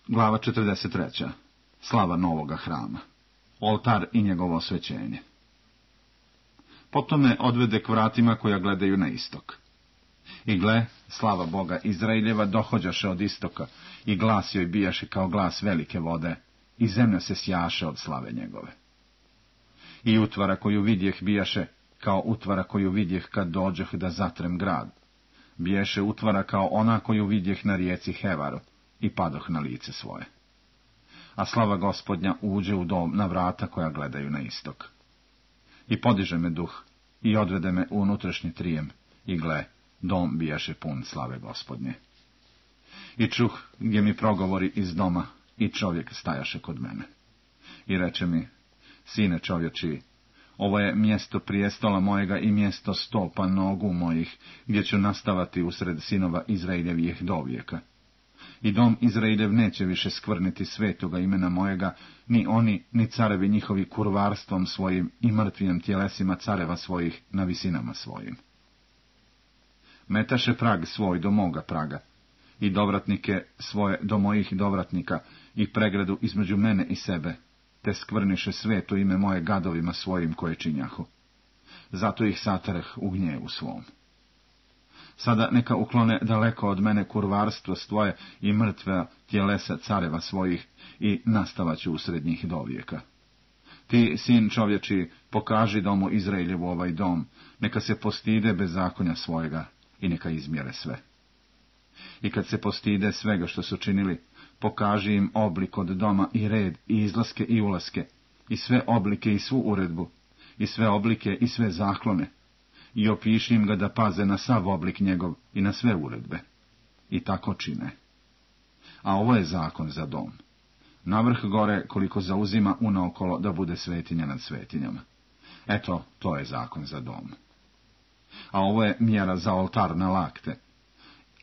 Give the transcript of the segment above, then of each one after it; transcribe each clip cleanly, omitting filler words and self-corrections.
Glava 43. Slava novoga hrama. Oltar i njegovo osvećenje. Potom me odvede k vratima koja gledaju na istok. I gle, slava Boga Izraeljeva dohođaše od istoka, i glas joj bijaše kao glas velike vode, i zemlja se sjaše od slave njegove. I utvara koju vidjeh bijaše kao utvara koju vidjeh kad dođeh da zatrem grad. Biješe utvara kao ona koju vidjeh na rijeci Hevaru, i padoh na lice svoje. A slava Gospodnja uđe u dom na vrata koja gledaju na istok. I podiže me duh, i odvede me u unutrašnji trijem, i gle, dom bijaše pun slave Gospodnje. I čuh gdje mi progovori iz doma, i čovjek stajaše kod mene. I reče mi, sine čovječi, ovo je mjesto prijestola mojega i mjesto stopa nogu mojih, gdje ću nastavati usred sinova Izraeljevih dovijeka. I dom Izraeljev neće više skvrniti svetoga imena mojega, ni oni, ni carevi njihovi kurvarstvom svojim i mrtvim tjelesima careva svojih na visinama svojim. Metaše prag svoj do moga praga, i dovratnike svoje do mojih dovratnika, i pregradu između mene i sebe, te skvrniše sveto ime moje gadovima svojim koje činjahu. Zato ih satareh u gnjevu svom. Sada neka uklone daleko od mene kurvarstvo svoje i mrtve tjelesa careva svojih, i nastavaću usred njih dovijeka. Ti, sin čovječi, pokaži domu Izraeljevu ovaj dom, neka se postide bezakonja svojega i neka izmjere sve. I kad se postide svega što su činili, pokaži im oblik od doma i red i izlaske i ulaske, i sve oblike i svu uredbu, i sve oblike i sve zaklone, i opiši im ga da paze na sav oblik njegov i na sve uredbe. I tako čine. A ovo je zakon za dom. Navrh gore koliko zauzima unaokolo da bude svetinja nad svetinjama. Eto, to je zakon za dom. A ovo je mjera za oltar na lakte.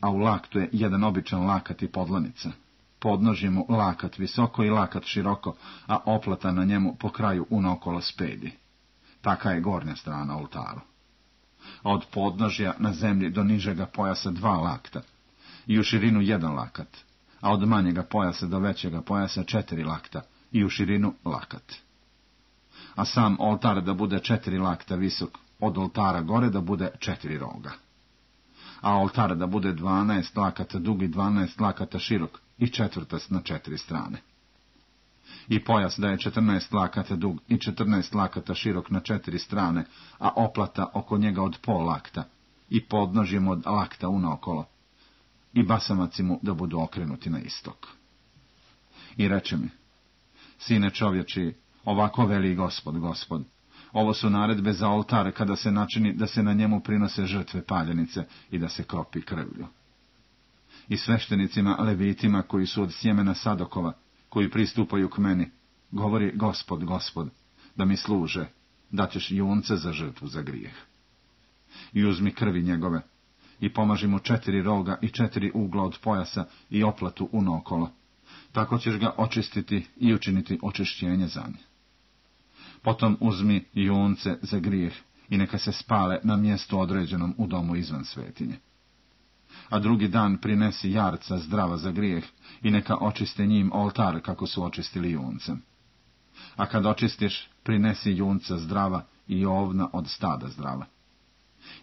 A u laktu je jedan običan lakat i podlanica. Podnožje mu lakat visoko i lakat široko, a oplata na njemu po kraju unaokolo spedi. Taka je gornja strana oltaru. A od podnožja na zemlji do nižega pojasa 2 lakta, i u širinu 1 lakat, a od manjega pojasa do većega pojasa 4 lakta, i u širinu lakat. A sam oltar da bude 4 lakta visok, od oltara gore da bude 4 roga. A oltar da bude 12 lakata dug i 12 lakata širok, i četvrtast na 4 strane. I pojas da je 14 lakata dug i 14 lakata širok na 4 strane, a oplata oko njega od pol lakta, i podnožjem od lakta unaokolo, i basamaci mu da budu okrenuti na istok. I reče mi, sine čovječi, ovako veli Gospod, ovo su naredbe za oltar kada se načini da se na njemu prinose žrtve paljenice i da se kropi krvlju. I sveštenicima levitima koji su od sjemena Sadokova, koji pristupaju k meni, govori Gospod, da mi služe, daćeš junce za žrtvu za grijeh. I uzmi krvi njegove, i pomaži mu 4 roga i 4 ugla od pojasa i oplatu unaokolo, tako ćeš ga očistiti i učiniti očišćenje za nje. Potom uzmi junce za grijeh i neka se spale na mjestu određenom u domu izvan svetinje. A drugi dan prinesi jarca zdrava za grijeh i neka očiste njim oltar kako su očistili juncem. A kad očistiš, prinesi junca zdrava i ovna od stada zdrava.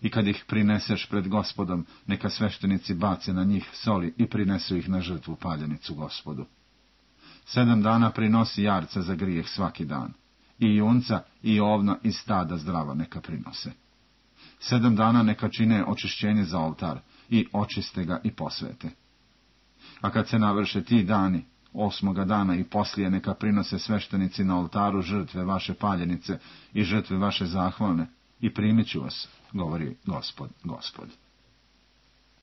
I kad ih prineseš pred Gospodom, neka sveštenici bace na njih soli i prinesu ih na žrtvu paljenicu Gospodu. 7 dana prinosi jarca za grijeh svaki dan, i junca i ovna iz stada zdrava neka prinose. 7 dana neka čine očišćenje za oltar i očiste ga i posvete. A kad se navrše ti dani, 8. dana i poslije neka prinose sveštenici na oltaru žrtve vaše paljenice i žrtve vaše zahvalne, i primit ću vas, govori Gospod.